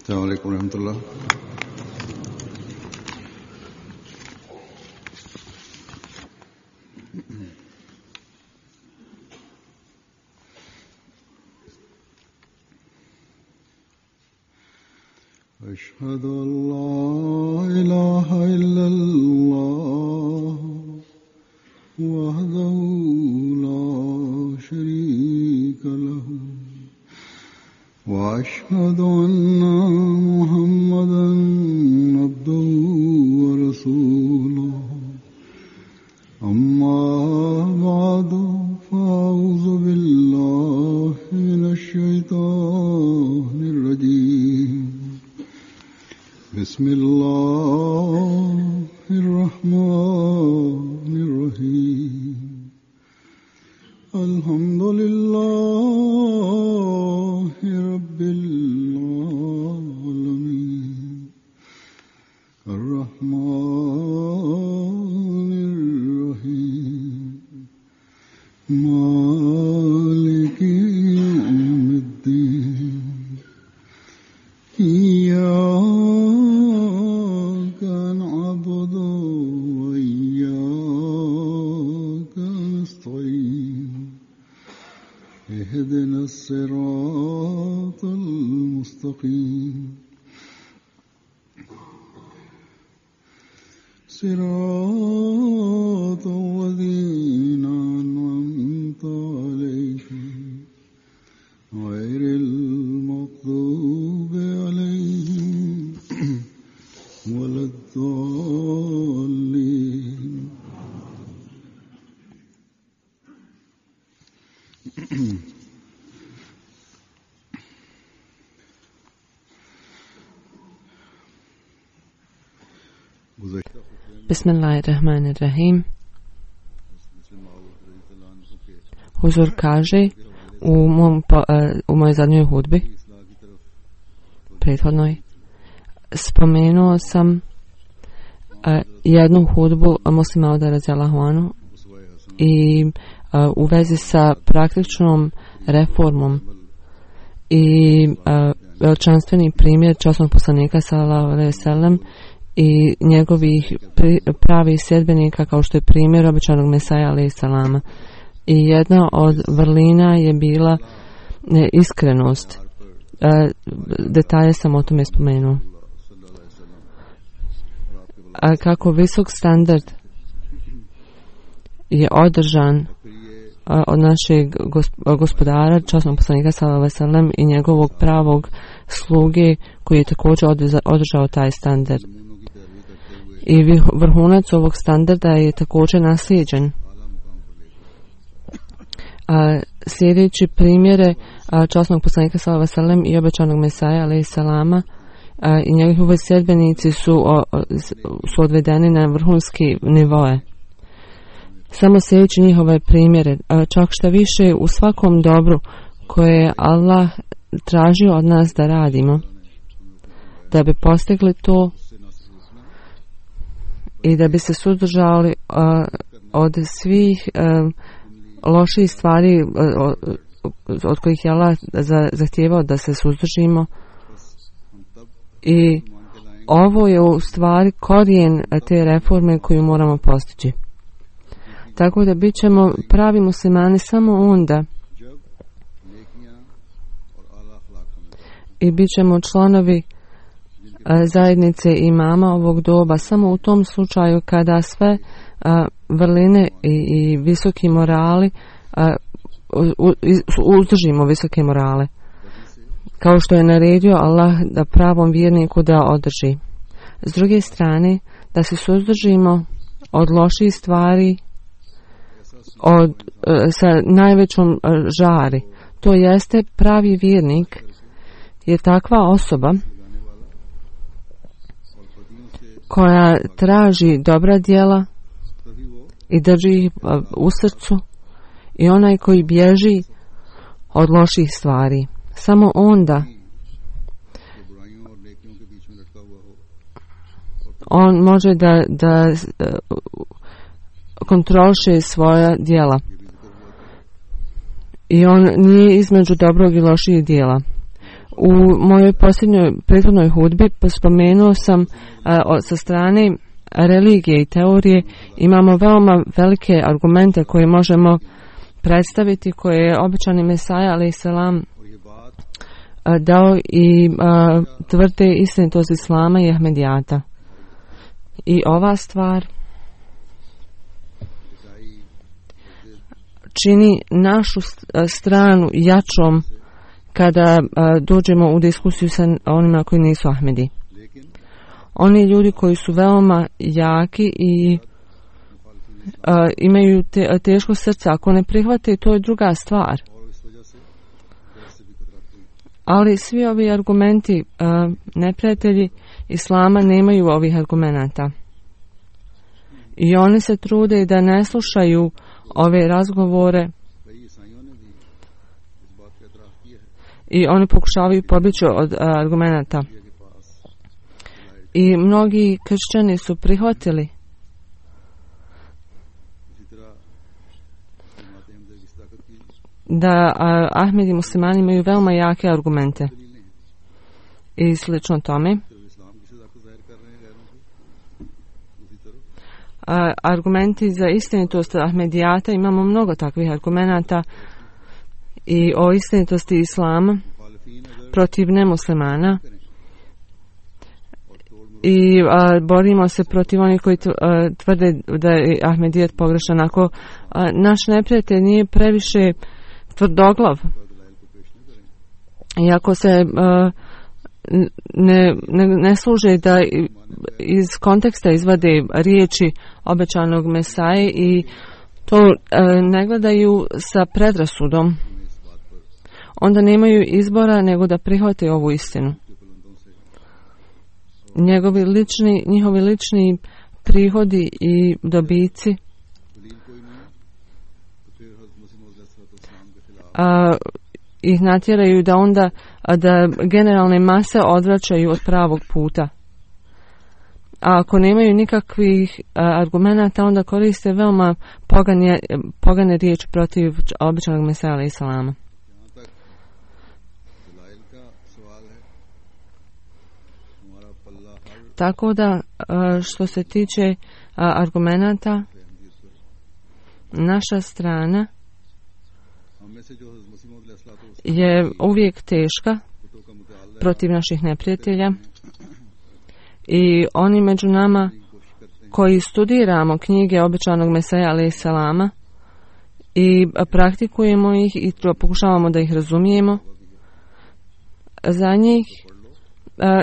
السلام عليكم ورحمة الله. أشهد أن لا إله إلا الله وحده لا شريك له وأشهد أن محمدا عبده ورسوله أما بعد فأعوذ بالله من الشيطان الرجيم بسم الله الرحمن الرحيم الحمد لله رب العالمين الرحمن الرحيم مالك يوم الدين إياك نعبد وإياك نستعين اهدنا الصراط المستقيم صراط الذين أنعمت عليهم غير المغضوب عليهم ولا الضالين. Bismillahirrahmanirrahim. Huzur kaže u mojoj zadnjoj hudbi, prethodnoj, spomenuo sam jednu hudbu Muslima Auda radijallahu anhu i u vezi sa praktičnom reformom i veličanstveni primjer časnog poslanika sallallahu alejhi ve sellem i njegovih pravih sljedbenika kao što je primjer obećanog Mesaja alejhi selama. I jedna od vrlina je bila iskrenost. Detalje sam o tome spomenuo. A kako visok standard je održan od našeg gospodara, časnog poslanika sallallahu alejhi ve sellem i njegovog pravog sluge koji je također održao taj standard. I vrhunac ovog standarda je također naslijeđen. Sljedeći primjere časnog poslanika sallallahu alejhi ve sellem i obećanog Mesaja alejhi selama i njegovi sljedbenici su odvedeni na vrhunski nivoe. Samo sljedeći njihove primjere, čak šta više u svakom dobru koje je Allah tražio od nas da radimo, da bi postigli to i da bi se suzdržali od svih loših stvari od kojih je Allah zahtijevao da se suzdržimo. I ovo je u stvari korijen te reforme koju moramo postići. Tako da bit ćemo pravi muslimani samo onda i bit ćemo članovi zajednice imama ovog doba samo u tom slučaju kada sve vrline i visoki morali uzdržimo visoke morale, kao što je naredio Allah da pravom vjerniku da održi. S druge strane, da se suzdržimo od loših stvari sa najvećom žari. To jeste, pravi vjernik je takva osoba koja traži dobra djela i drži ih u srcu i onaj koji bježi od loših stvari. Samo onda on može da kontroliše svoja djela. I on nije između dobrog i loših djela. U mojoj posljednjoj prethodnoj hudbi spomenuo sam sa strane religije i teorije imamo veoma velike argumente koje možemo predstaviti, koje je obećani Mesaja alejhi selam dao i tvrde istinitost islama i Ahmedijata. I ova stvar čini našu stranu jačom kada dođemo u diskusiju sa onima koji nisu Ahmedi. Oni ljudi koji su veoma jaki i imaju teško srce, ako ne prihvate, to je druga stvar. Ali svi ovi argumenti, neprijatelji islama nemaju ovih argumenata. I oni se trude da ne slušaju ove razgovore i oni pokušavaju pobjeći od argumenata. I mnogi kršćani su prihvatili da Ahmedi muslimani imaju veoma jake argumente. I slično tome. Argumenti za istinitost Ahmedijata, imamo mnogo takvih argumenata i o istinitosti islama protiv nemuslimana i borimo se protiv onih koji tvrde da je Ahmedijat pogrešan. Ako naš neprijatelj nije previše tvrdoglav i ako se ne služe da iz konteksta izvade riječi obećanog Mesaje i to ne gledaju sa predrasudom, onda nemaju izbora nego da prihvate ovu istinu. Njihovi lični prihodi i dobici ih natjeraju da onda da generalne mase odvraćaju od pravog puta. A ako nemaju nikakvih argumenata, onda koriste veoma pogane riječi protiv običanog Mesaja alejhi selama. Tako da što se tiče argumenata, naša strana je uvijek teška protiv naših neprijatelja i oni među nama koji studiramo knjige obećanog Mesaja alejhi selama i praktikujemo ih i pokušavamo da ih razumijemo, za njih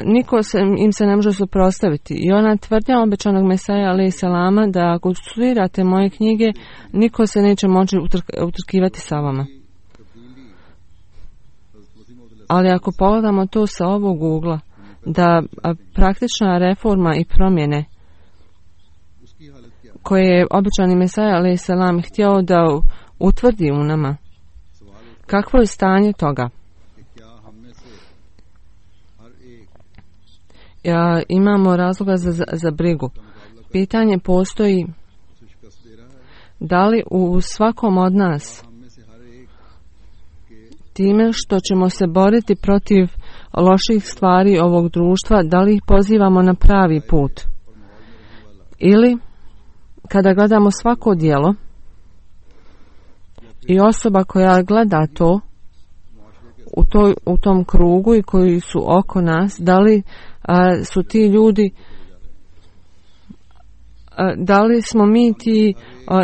niko im se ne može suprotstaviti. I ona tvrdnja obećanog Mesaja alejhi selama da ako studirate moje knjige, niko se neće moći utrkivati sa vama. Ali ako pogledamo to sa ovog ugla, da praktična reforma i promjene koje je obećani Mesaja alejhi selam htio da utvrdi u nama, kakvo je stanje toga? Imamo razloga za brigu. Pitanje postoji da li u svakom od nas time što ćemo se boriti protiv loših stvari ovog društva, da li ih pozivamo na pravi put? Ili kada gledamo svako djelo i osoba koja gleda to u tom krugu i koji su oko nas, da li su ti ljudi, da li smo mi ti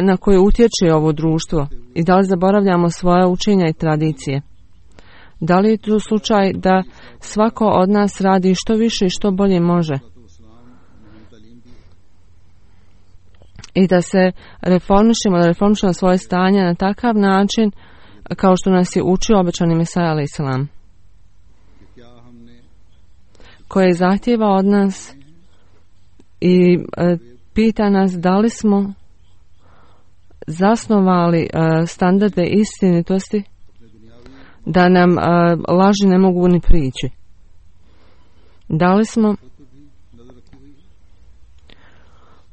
na koje utječe ovo društvo i da li zaboravljamo svoje učenja i tradicije? Da li je to slučaj da svako od nas radi što više i što bolje može? I da se reformišemo svoje stanje na takav način kao što nas je učio obećani Mesaja alejhi selam, koje zahtijeva od nas i pita nas da li smo zasnovali standarde istinitosti da nam laži ne mogu ni prići. Da li smo,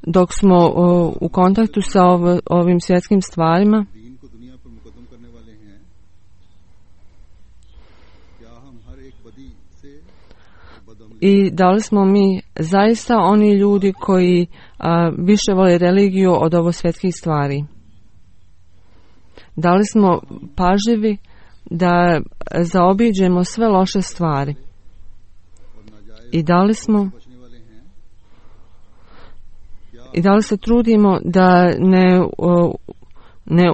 dok smo u kontaktu sa ovim svjetskim stvarima, I da li smo mi zaista oni ljudi koji više vole religiju od ovo svjetskih stvari? Da li smo pažljivi da zaobiđemo sve loše stvari? I da li se trudimo da ne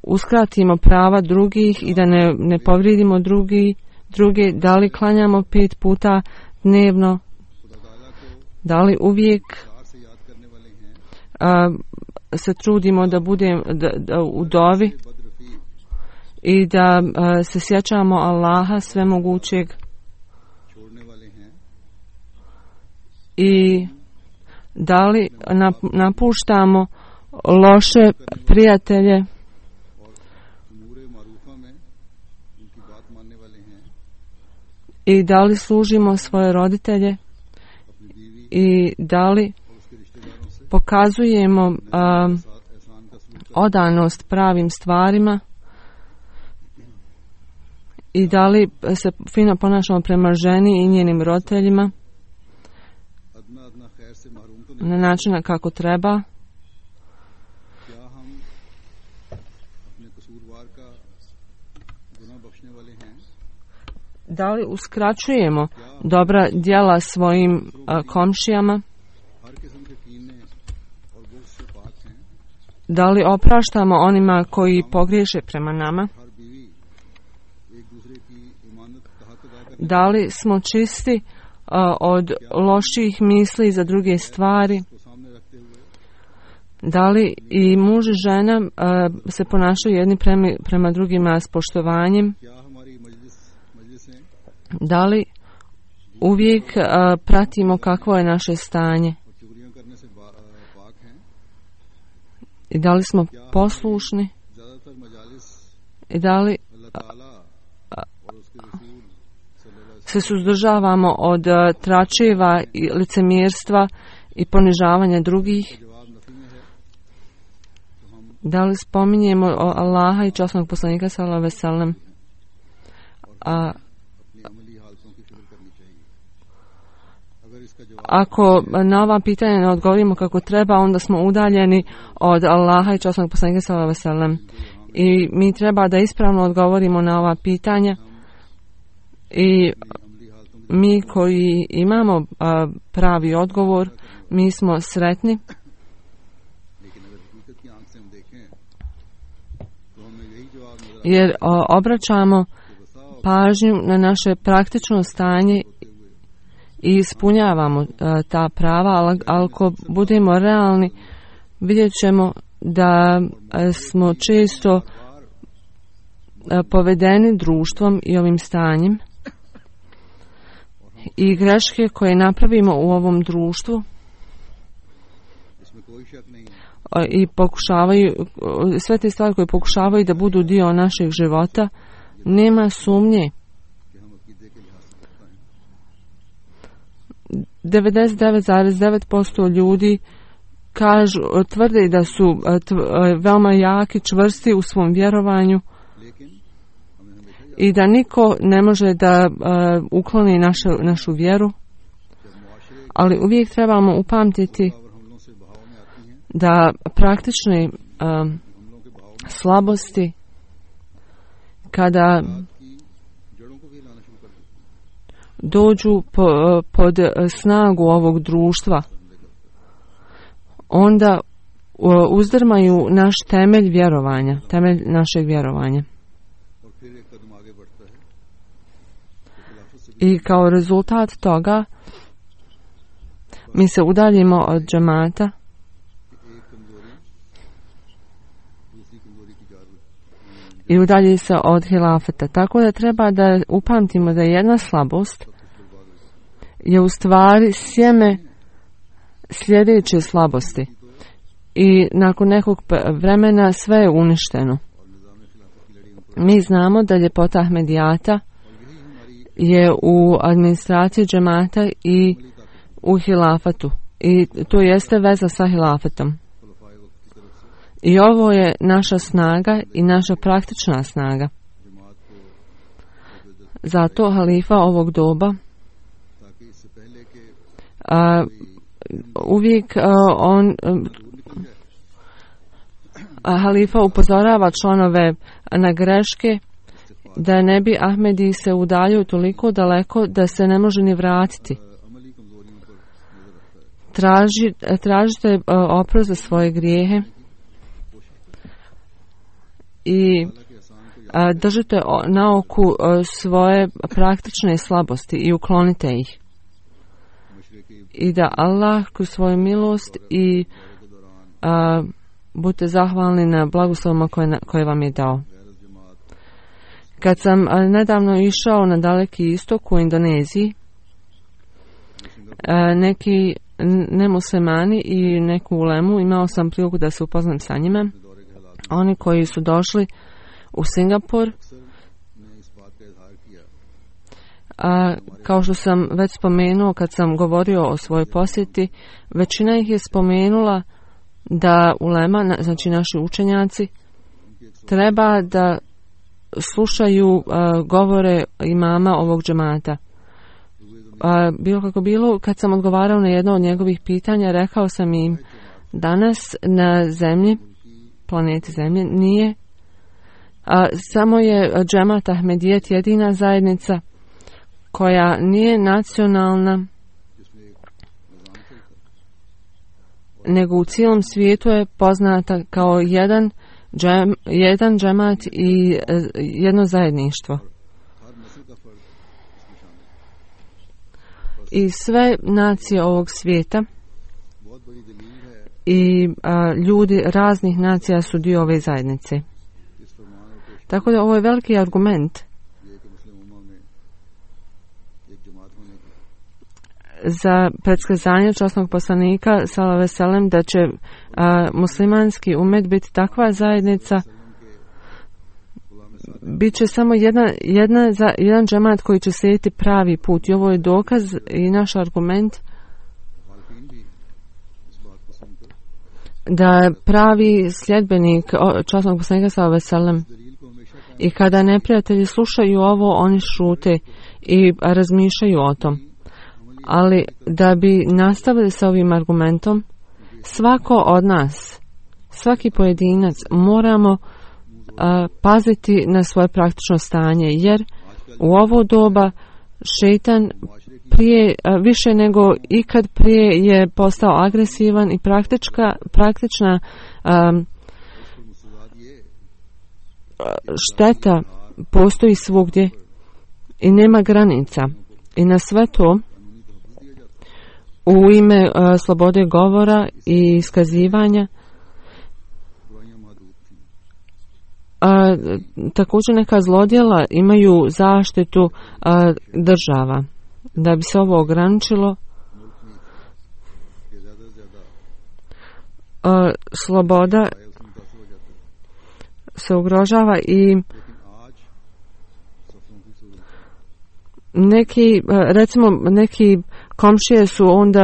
uskratimo prava drugih i da ne povrijedimo druge? Da li klanjamo 5 puta dnevno? Da li uvijek se trudimo da budemo u dovi i da se sjećamo Allaha svemogućeg? I da li napuštamo loše prijatelje i da li služimo svoje roditelje i da li pokazujemo odanost pravim stvarima i da li se fino ponašamo prema ženi i njenim roditeljima na način kako treba. Da li uskraćujemo dobra djela svojim komšijama? Da li opraštamo onima koji pogriješe prema nama? Da li smo čisti od loših misli za druge stvari? Da li i muž i žena se ponašaju jedni prema drugima s poštovanjem? Da li uvijek pratimo kakvo je naše stanje? I da li smo poslušni? I da li se suzdržavamo od tračeva i licemjerstva i ponižavanja drugih? Da li spominjemo Allaha i časnog poslanika sallallahu alejhi ve sellem? Ako na ova pitanja ne odgovorimo kako treba, onda smo udaljeni od Allaha i časnog poslanika sallallahu alejhi ve sellem. I mi treba da ispravno odgovorimo na ova pitanja. I mi koji imamo pravi odgovor, mi smo sretni. Jer obraćamo pažnju na naše praktično stanje i ispunjavamo ta prava, ali ako budemo realni, vidjet ćemo da smo često povedeni društvom i ovim stanjem i greške koje napravimo u ovom društvu i pokušavaju, sve te stvari koje pokušavaju da budu dio našeg života, nema sumnje. 99,9% ljudi tvrde da su veoma jaki, čvrsti u svom vjerovanju i da niko ne može da ukloni našu vjeru, ali uvijek trebamo upamtiti da praktične slabosti kada dođu pod snagu ovog društva, onda uzdrmaju naš temelj vjerovanja, temelj našeg vjerovanja. I kao rezultat toga mi se udaljimo od džemata i udalji se od hilafeta. Tako da treba da upamtimo da jedna slabost je u stvari sjeme sljedeće slabosti i nakon nekog vremena sve je uništeno. Mi znamo da ljepota Ahmedijata je u administraciji džemata i u hilafatu i to jeste veza sa hilafetom. I ovo je naša snaga i naša praktična snaga. Zato halifa ovog doba uvijek halifa upozorava članove na greške, da ne bi Ahmedi se udaljio toliko daleko da se ne može ni vratiti. Tražite oprost za svoje grijehe i držite na oku svoje praktične slabosti i uklonite ih. I da Allah kroz svoju milost i budite zahvalni na blagoslovima koje vam je dao. Kad sam nedavno išao na Daleki istok u Indoneziji, neki nemuslimani i neku ulemu, imao sam priliku da se upoznam sa njima. Oni koji su došli u Singapur, kao što sam već spomenuo kad sam govorio o svojoj posjeti, većina ih je spomenula da ulema, znači naši učenjaci, treba da slušaju govore imama ovog džemata. Bilo kako bilo, kad sam odgovarao na jedno od njegovih pitanja, rekao sam im, danas na zemlji, planeti zemlje, nije, samo je džemat Ahmedijet jedina zajednica koja nije nacionalna, nego u cijelom svijetu je poznata kao jedan džemat i jedno zajedništvo. I sve nacije ovog svijeta i ljudi raznih nacija su dio ove zajednice. Tako da ovo je veliki argument za predskazanje časnog poslanika sallallahu alejhi ve sellem da će muslimanski umet biti takva zajednica, bit će samo jedan džemat koji će slijediti pravi put. I ovo je dokaz i naš argument da pravi sljedbenik časnog poslanika sallallahu alejhi ve sellem, i kada neprijatelji slušaju ovo, oni šute i razmišljaju o tom. Ali da bi nastavili sa ovim argumentom, svako od nas, svaki pojedinac, moramo paziti na svoje praktično stanje, jer u ovo doba šejtan više nego ikad prije je postao agresivan i praktična šteta postoji svugdje i nema granica. I na sve to, u ime slobode govora i iskazivanja, također neka zlodjela imaju zaštitu država. Da bi se ovo ograničilo, sloboda se ugrožava i neki komšije su onda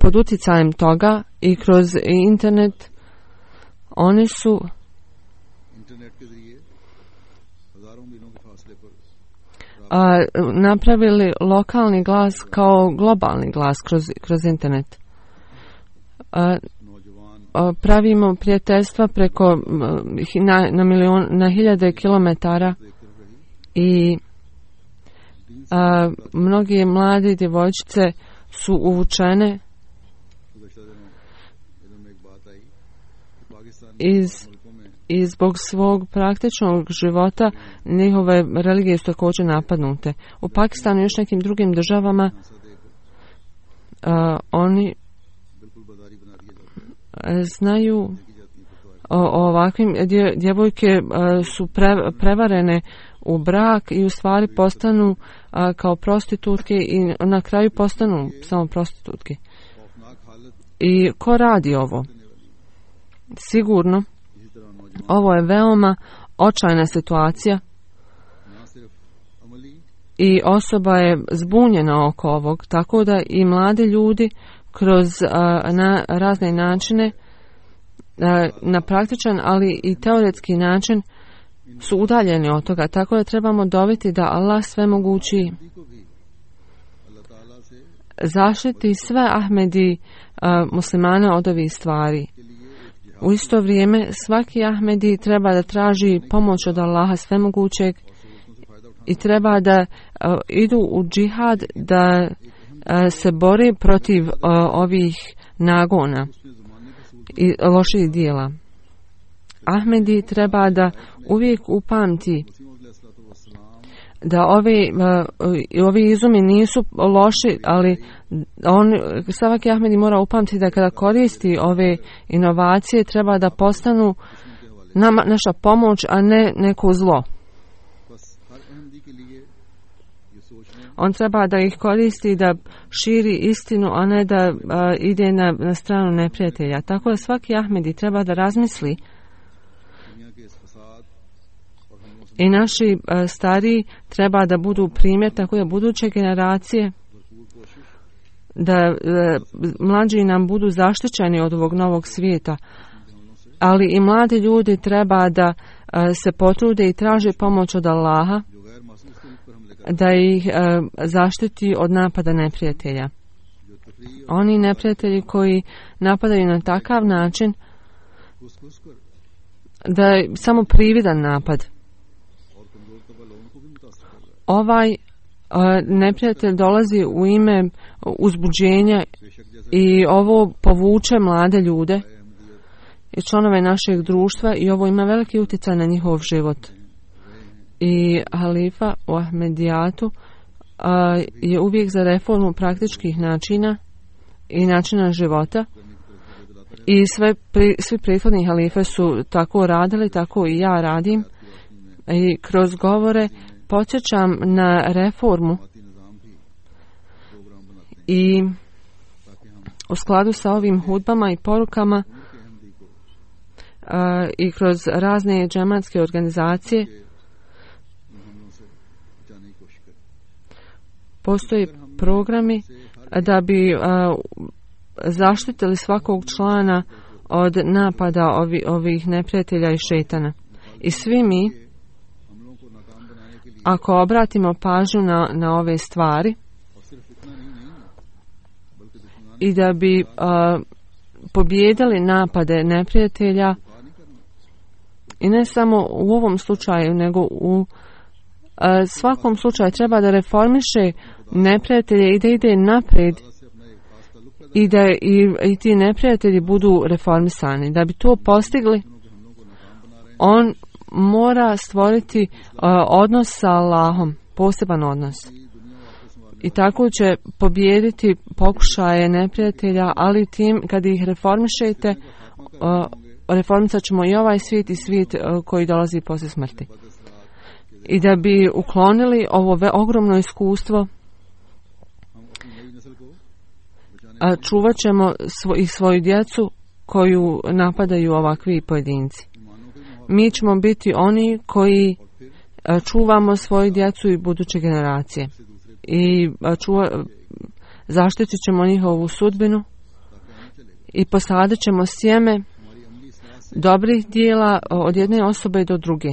pod utjecajem toga i kroz internet oni su napravili lokalni glas kao globalni glas kroz internet. Pravimo prijateljstva preko na hiljade kilometara i mnogi mladi djevojčice su uvučene i zbog svog praktičnog života njihove religije su također napadnute. U Pakistanu i još nekim drugim državama oni znaju o ovakvim djevojke su prevarene u brak i u stvari postanu kao prostitutke i na kraju postanu samo prostitutke. I ko radi ovo? Sigurno ovo je veoma očajna situacija i osoba je zbunjena oko ovog, tako da i mladi ljudi kroz na razne načine, na praktičan ali i teoretski način su udaljeni od toga, tako da trebamo doviti da Allah svemogući zaštiti sve Ahmedi muslimane od ovih stvari. U isto vrijeme svaki Ahmedi treba da traži pomoć od Allaha svemogućeg i treba da idu u džihad, da se bori protiv ovih nagona i loših dijela. Ahmedi treba da uvijek upamti da ovi izumi nisu loši, ali svaki Ahmedi mora upamtiti da kada koristi ove inovacije treba da postanu naša pomoć, a ne neko zlo. On treba da ih koristi da širi istinu, a ne da ide na stranu neprijatelja. Tako da svaki Ahmedi treba da razmisli i naši stariji treba da budu primjer, tako da buduće generacije, da mlađi nam budu zaštićeni od ovog novog svijeta, ali i mladi ljudi treba da se potrude i traže pomoć od Allaha, da ih zaštiti od napada neprijatelja. Oni neprijatelji koji napadaju na takav način da je samo prividan napad. Ovaj neprijatelj dolazi u ime uzbuđenja i ovo povuče mlade ljude i članove našeg društva i ovo ima veliki utjecaj na njihov život. I halifa u Ahmedijatu je uvijek za reformu praktičkih načina i načina života i svi prethodni halife su tako radili, tako i ja radim i kroz govore podsjećam na reformu i u skladu sa ovim hudbama i porukama i kroz razne džematske organizacije postoje programi da bi zaštitili svakog člana od napada ovih neprijatelja i šejtana. I svi mi, ako obratimo pažnju na ove stvari i da bi pobijedili napade neprijatelja, i ne samo u ovom slučaju, nego u svakom slučaju treba da reformiše neprijatelje i da ide naprijed i da i ti neprijatelji budu reformisani. Da bi to postigli, on mora stvoriti odnos sa Allahom, poseban odnos. I tako će pobijediti pokušaje neprijatelja, ali tim kad ih reformišete, reformisat ćemo i ovaj svijet i svijet koji dolazi poslije smrti. I da bi uklonili ovo ogromno iskustvo, čuvat ćemo i svoju djecu koju napadaju ovakvi pojedinci. Mi ćemo biti oni koji čuvamo svoju djecu i buduće generacije. I zaštitit ćemo njihovu sudbinu i posadit ćemo sjeme dobrih dijela od jedne osobe do druge.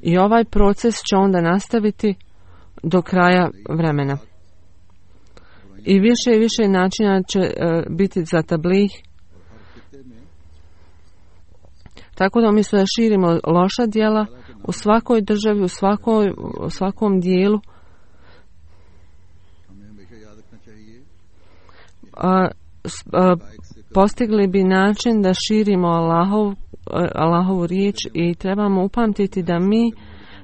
I ovaj proces će onda nastaviti do kraja vremena. I više načina će biti za tablih. Tako da umjesto da širimo loša djela u svakoj državi, u svakom dijelu, postigli bi način da širimo Allahovu riječ i trebamo upamtiti da mi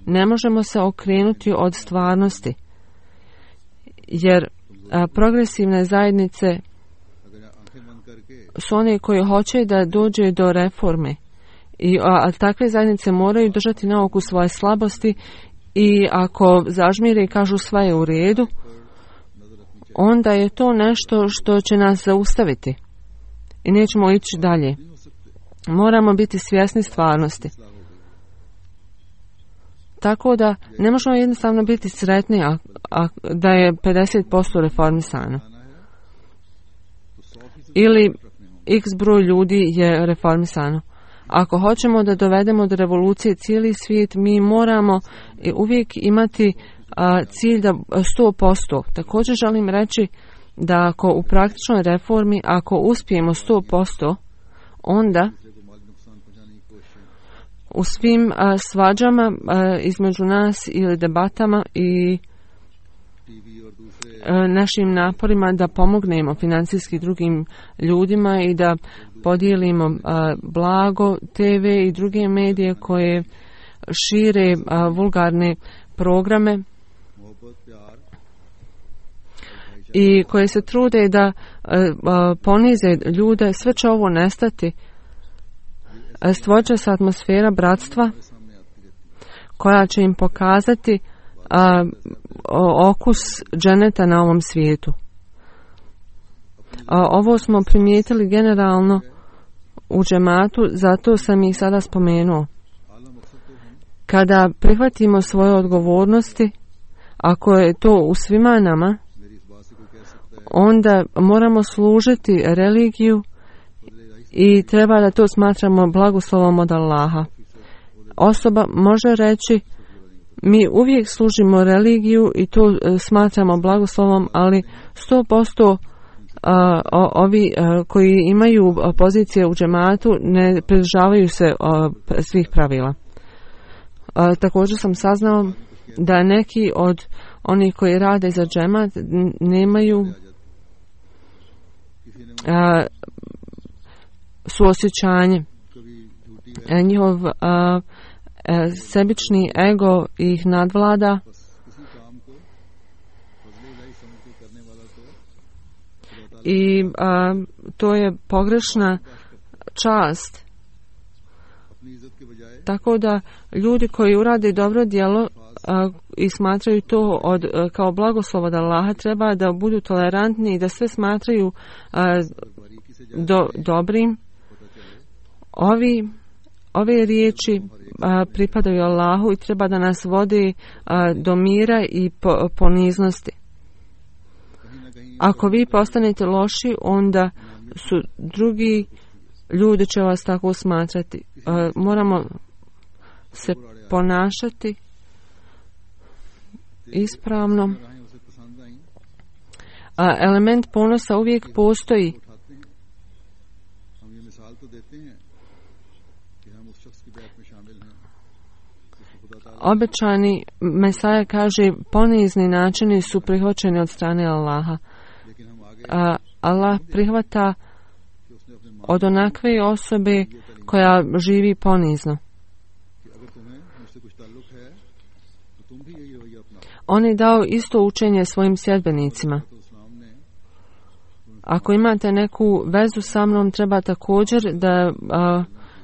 ne možemo se okrenuti od stvarnosti. Jer progresivne zajednice su one koje hoće da dođe do reforme. A takve zajednice moraju držati na oku svoje slabosti i ako zažmire i kažu sve je u redu, onda je to nešto što će nas zaustaviti i nećemo ići dalje. Moramo biti svjesni stvarnosti. Tako da ne možemo jednostavno biti sretni da je 50% reformisano. Ili x broj ljudi je reformisano. Ako hoćemo da dovedemo do revolucije cijeli svijet, mi moramo uvijek imati cilj da 100%. Također želim reći da ako u praktičnoj reformi, ako uspijemo 100%, onda u svim svađama između nas ili debatama i našim naporima da pomognemo financijski drugim ljudima i da podijelimo blago, TV i druge medije koje šire vulgarne programe i koje se trude da ponize ljude, sve će ovo nestati. Stvorit će se atmosfera bratstva koja će im pokazati okus dženeta na ovom svijetu. Ovo smo primijetili generalno u džematu, zato sam ih sada spomenuo. Kada prihvatimo svoje odgovornosti, ako je to u svima nama, onda moramo služiti religiju i treba da to smatramo blagoslovom od Allaha. Osoba može reći, mi uvijek služimo religiju i to smatramo blagoslovom, ali 100% ovi koji imaju pozicije u džematu ne pridržavaju se svih pravila. Također sam saznao da neki od onih koji rade za džemat nemaju suosjećanje. Njihov sebični ego ih nadvlada i to je pogrešna čast. Tako da ljudi koji urade dobro djelo i smatraju to kao blagoslov od Allaha, treba da budu tolerantni i da sve smatraju dobrim. Ove riječi pripadaju Allahu i treba da nas vodi do mira i poniznosti. Ako vi postanete loši, onda su drugi ljudi će vas tako smatrati. Moramo se ponašati ispravno. Element ponosa uvijek postoji. Obećani Mesaja kaže, ponizni načini su prihvaćeni od strane Allaha. Allah prihvata od onakve osobe koja živi ponizno. On je dao isto učenje svojim sljedbenicima. Ako imate neku vezu sa mnom, treba također da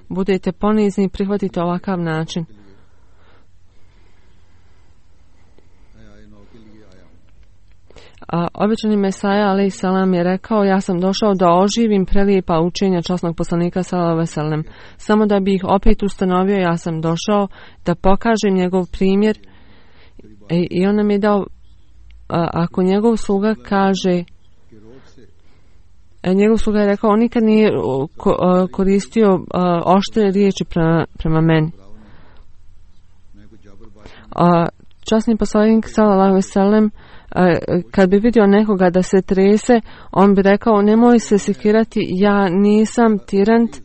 budete ponizni i prihvatite ovakav način. Obećani Mesaja alaih salam je rekao, ja sam došao da oživim prelijepa učenja časnog poslanika sallallahu alejhi ve sellem. Samo da bi ih opet ustanovio, ja sam došao da pokažem njegov primjer i on nam je dao, ako njegov sluga kaže, njegov sluga je rekao, on nikad nije koristio oštre riječi prema meni. Časni poslanik sallallahu alejhi ve sellem kad bi vidio nekoga da se trese, on bi rekao, nemoj se sekirati, ja nisam tirant,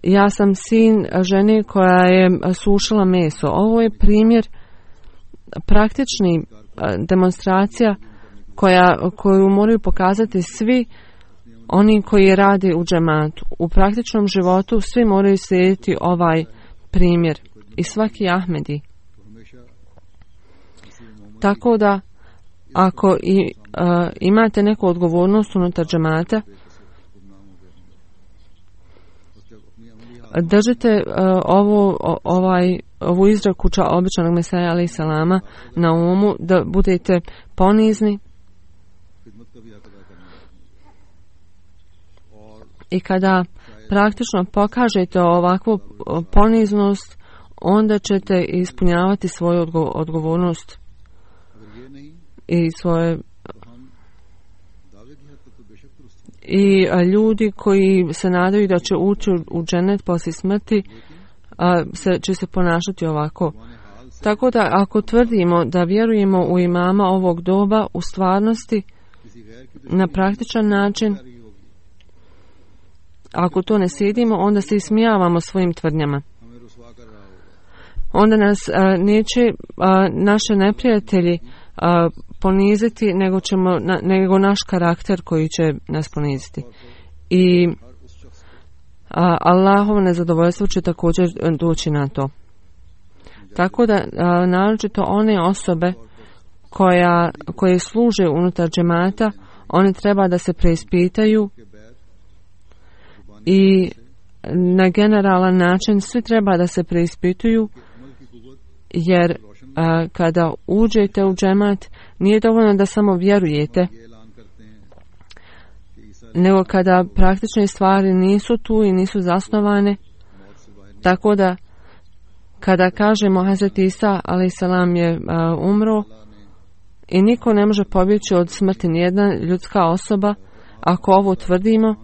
ja sam sin žene koja je sušila meso. Ovo je primjer praktični demonstracija koju moraju pokazati svi oni koji rade u džematu. U praktičnom životu svi moraju slijediti ovaj primjer i svaki Ahmedi. Tako da ako imate neku odgovornost unutar džemata, držite ovu izreku običanog Mesaja alaih salama na umu, da budete ponizni i kada praktično pokažete ovakvu poniznost, onda ćete ispunjavati svoju odgovornost i svoje i ljudi koji se nadaju da će ući u džennet poslije smrti će se ponašati ovako. Tako da ako tvrdimo da vjerujemo u imama ovog doba u stvarnosti na praktičan način, ako to ne slijedimo, onda se ismijavamo svojim tvrdnjama. Onda nas neće naše neprijatelji poniziti, nego naš karakter koji će nas poniziti. I Allahovo nezadovoljstvo će također doći na to. Tako da naročito one osobe koje služe unutar džemata, one treba da se preispitaju i na generalan način svi treba da se preispituju, jer kada uđete u džemat nije dovoljno da samo vjerujete, nego kada praktične stvari nisu tu i nisu zasnovane. Tako da kada kažemo Hazret Isa a.s. je umro i niko ne može pobjeći od smrti, nijedna ljudska osoba, ako ovo tvrdimo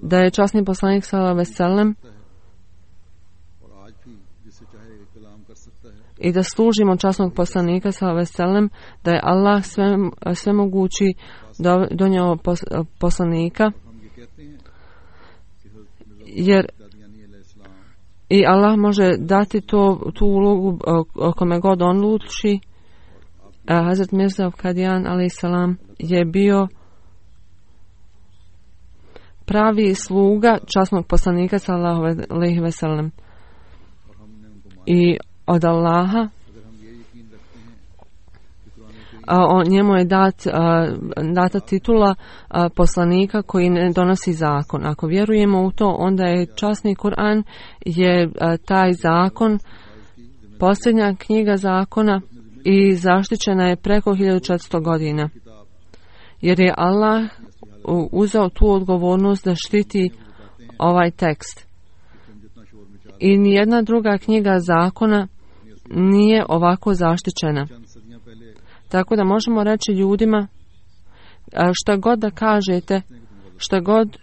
da je časni poslanik s.a.v. i da služimo časnog poslanika s.a.v. da je Allah svemogući donio poslanika, jer i Allah može dati tu ulogu kome god on odluči. Hazret Mirza Kadian a.s. je bio pravi sluga časnog poslanika sallallahu alejhi ve sellem i od Allaha njemu je data titula poslanika koji ne donosi zakon. Ako vjerujemo u to, onda je časni Kur'an je taj zakon, posljednja knjiga zakona i zaštićena je preko 1400 godina. Jer je Allah uzeo tu odgovornost da štiti ovaj tekst. I nijedna druga knjiga zakona nije ovako zaštićena. Tako da možemo reći ljudima, šta god da kažete, šta god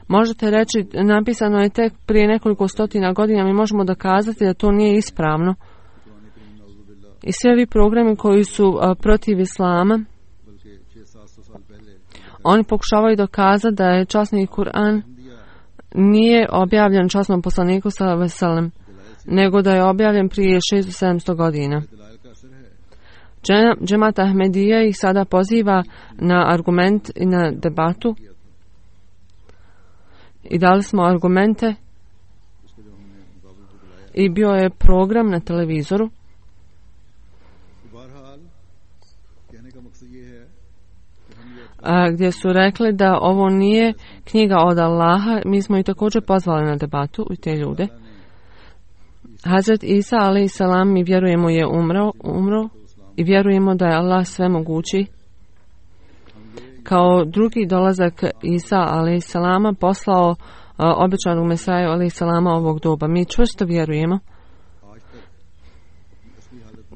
možete reći, napisano je tek prije nekoliko stotina godina, mi možemo dokazati da to nije ispravno. I sve ovi programi koji su protiv islama, oni pokušavaju dokazati da je časni Kur'an nije objavljen časnom poslaniku sallallahu alejhi ve sellem, nego da je objavljen prije 600-700 godina. Džemat Ahmedija ih sada poziva na argument i na debatu i dali smo argumente i bio je program na televizoru gdje su rekli da ovo nije knjiga od Allaha. Mi smo i također pozvali na debatu i te ljude. Hazret Isa a.s. mi vjerujemo je umro i vjerujemo da je Allah svemogući. Kao drugi dolazak Isa a.s. poslao obećanog Mesaju a.s. ovog doba. Mi čvrsto vjerujemo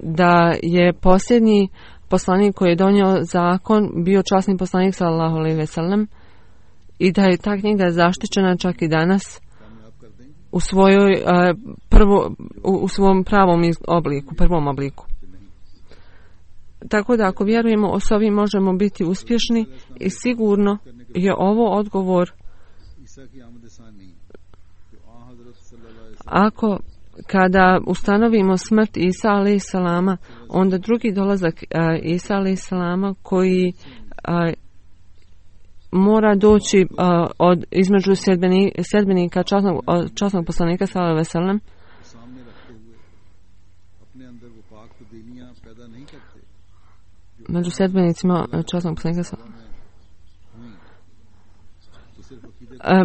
da je posljednji poslanik koji je donio zakon bio časni poslanik sallallahu alejhi ve sellem i da je ta knjiga zaštićena čak i danas u svom pravom obliku, prvom obliku. Tako da ako vjerujemo s ovim možemo biti uspješni i sigurno je ovo odgovor. Ako kada ustanovimo smrt Isa a.s. onda drugi dolazak Isa a.s. koji mora doći između sljedbenika časnog poslanika sallallahu alejhi ve sellem, među sljedbenicima časnog poslanika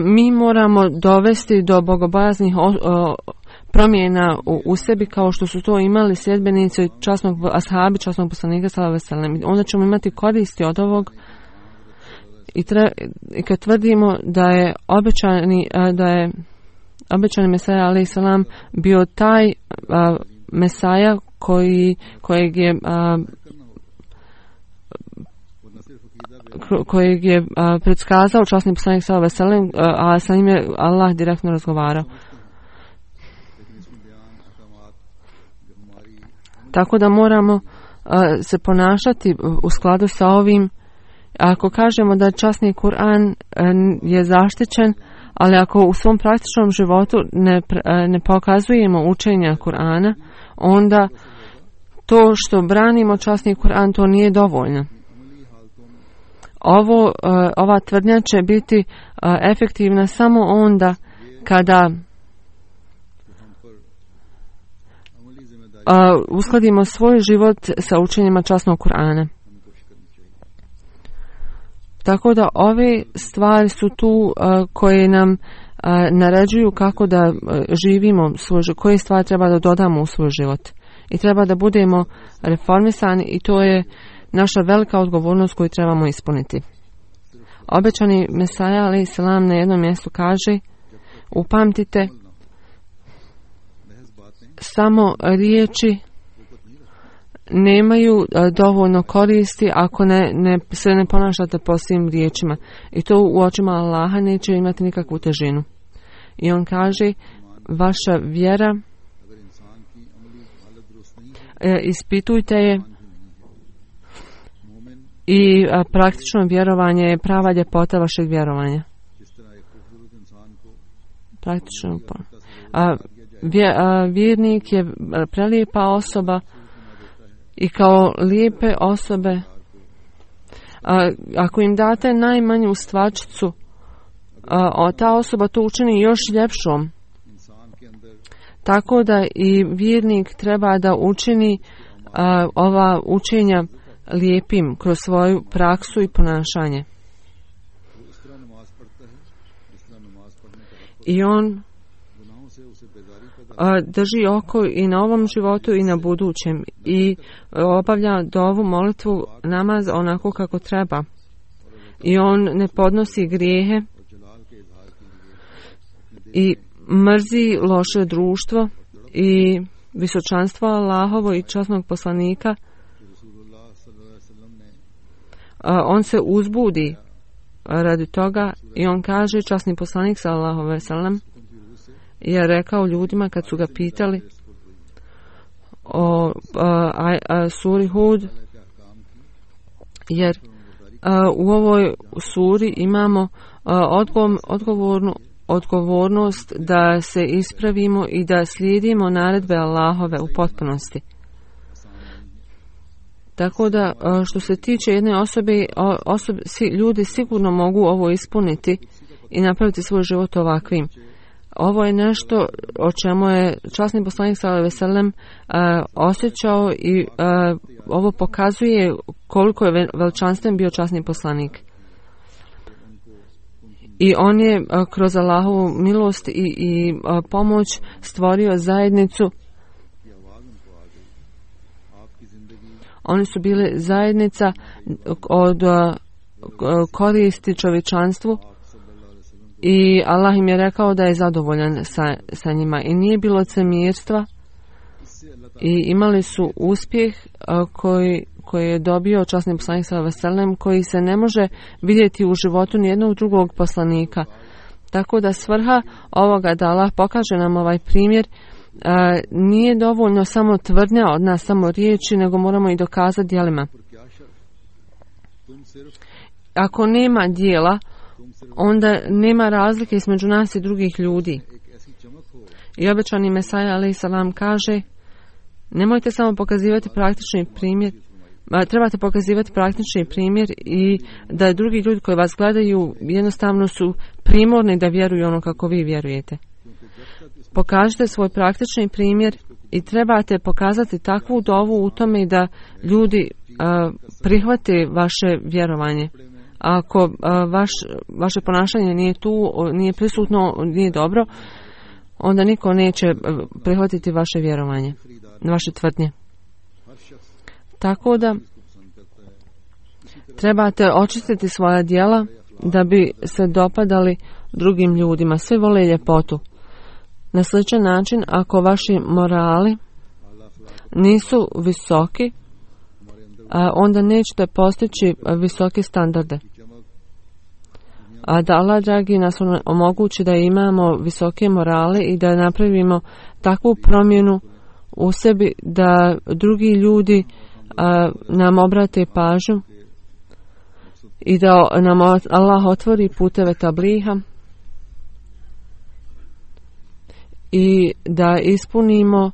mi moramo dovesti do bogobojaznih promjena u sebi kao što su to imali sljedbenici ashabi časnog poslanika sallallahu alejhi ve sellem. Onda ćemo imati koristi od ovog i kad tvrdimo da je obećani Mesaja alejhi selam bio taj Mesaja kojeg je kojeg je predskazao časni poslanik sallallahu alejhi ve sellem, a sa njim je Allah direktno razgovarao. Tako da moramo se ponašati u skladu sa ovim. Ako kažemo da časni Kur'an je zaštićen, ali ako u svom praktičnom životu ne pokazujemo učenja Kur'ana, onda to što branimo časni Kur'an, to nije dovoljno. Ova tvrdnja će biti efektivna samo onda kada uskladimo svoj život sa učenjima časnog Kur'ana. Tako da ove stvari su tu koje nam naređuju kako da živimo svoj život, koje stvari treba da dodamo u svoj život. I treba da budemo reformisani i to je naša velika odgovornost koju trebamo ispuniti. Obećani Mesaja alejhi selam na jednom mjestu kaže: upamtite, samo riječi nemaju dovoljno koristi ako se ne ponašate po svim riječima. I to u očima Allaha neće imati nikakvu težinu. I on kaže: vaša vjera, ispitujte je, i praktično vjerovanje je prava ljepota vašeg vjerovanja. Praktično. Vjernik je prelijepa osoba i kao lijepe osobe, ako im date najmanju stvačicu, ta osoba to učini još ljepšom. Tako da i vjernik treba da učini ova učenja lijepim kroz svoju praksu i ponašanje. I on drži oko i na ovom životu i na budućem i obavlja dovu, molitvu, namaz onako kako treba. I on ne podnosi grijehe i mrzi loše društvo i visočanstvo Allahovo i časnog poslanika. On se uzbudi radi toga i on kaže, časni poslanik sallallahu alejhi ve sellem je rekao ljudima kad su ga pitali o suri Hud, jer u ovoj suri imamo odgovornost da se ispravimo i da slijedimo naredbe Allahove u potpunosti. Tako da što se tiče jedne osobe, ljudi sigurno mogu ovo ispuniti i napraviti svoj život ovakvim. Ovo je nešto o čemu je časni poslanik sallallahu alejhi ve sellem osjećao i ovo pokazuje koliko je veličanstven bio časni poslanik. I on je kroz Allahovu milost i pomoć stvorio zajednicu. Oni su bili zajednica od koristi čovječanstvu i Allah im je rekao da je zadovoljan sa njima i nije bilo licemjerstva i imali su uspjeh koji je dobio časni poslanik sallallahu alejhi ve sellem, koji se ne može vidjeti u životu nijednog drugog poslanika. Tako da svrha ovoga da Allah pokaže nam ovaj primjer, nije dovoljno samo tvrdnja od nas, samo riječi, nego moramo i dokazati djelima. Ako nema djela, onda nema razlike između nas i drugih ljudi. I obećani Mesaja alejhi selam kaže: nemojte samo pokazivati praktični primjer, trebate pokazivati praktični primjer i da drugi ljudi koji vas gledaju jednostavno su primorni da vjeruju ono kako vi vjerujete. Pokažite svoj praktični primjer i trebate pokazati takvu dovu u tome da ljudi prihvate vaše vjerovanje. Ako vaše ponašanje nije tu, nije prisutno, nije dobro, onda niko neće prihvatiti vaše vjerovanje, vaše tvrdnje. Tako da trebate očistiti svoja djela da bi se dopadali drugim ljudima. Svi vole ljepotu. Na sličan način, ako vaši morali nisu visoki, onda nećete postići visoke standarde. A da Allah dragi nas omogući da imamo visoke morale i da napravimo takvu promjenu u sebi da drugi ljudi nam obrate pažnju i da nam Allah otvori puteve tabliha i da ispunimo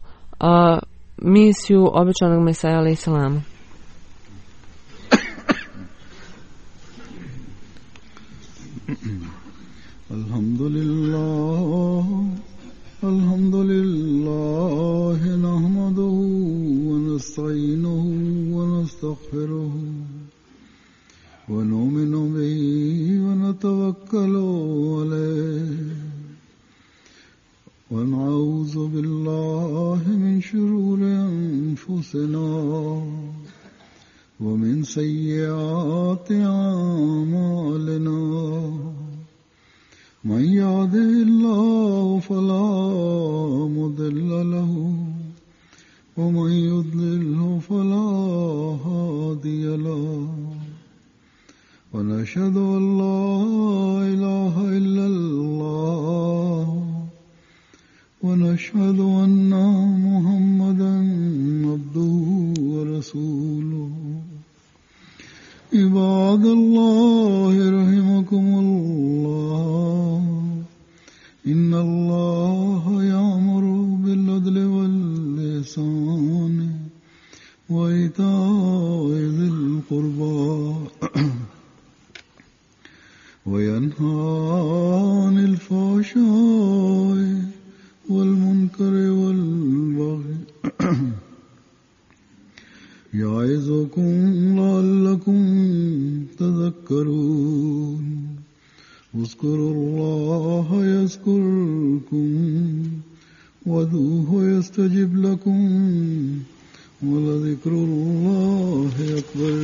misiju obećanog Mesaja alejhi selama. Alhamdulillah nahmaduhu wa nasta'inuhu wa nastaghfiruhu wa nu'minu bihi wa natawakkalu alayhi wa na'udzu billahi min shururi anfusina wa min sayyiati a'malina. من يهده الله فلا مضل له ومن يضلله فلا هادي له ونشهد أن لا إله إلا الله ونشهد أن محمدا عبده ورسوله. عباد الله رحمكم الله إن الله يأمر بالعدل والإحسان وإيتاء ذي القربى وينهى عن الفحشاء والمنكر والبغي يعظكم لعلكم تذكرون. اذكروا الله يذكركم وادعوه يستجب لكم ولذكر الله أكبر.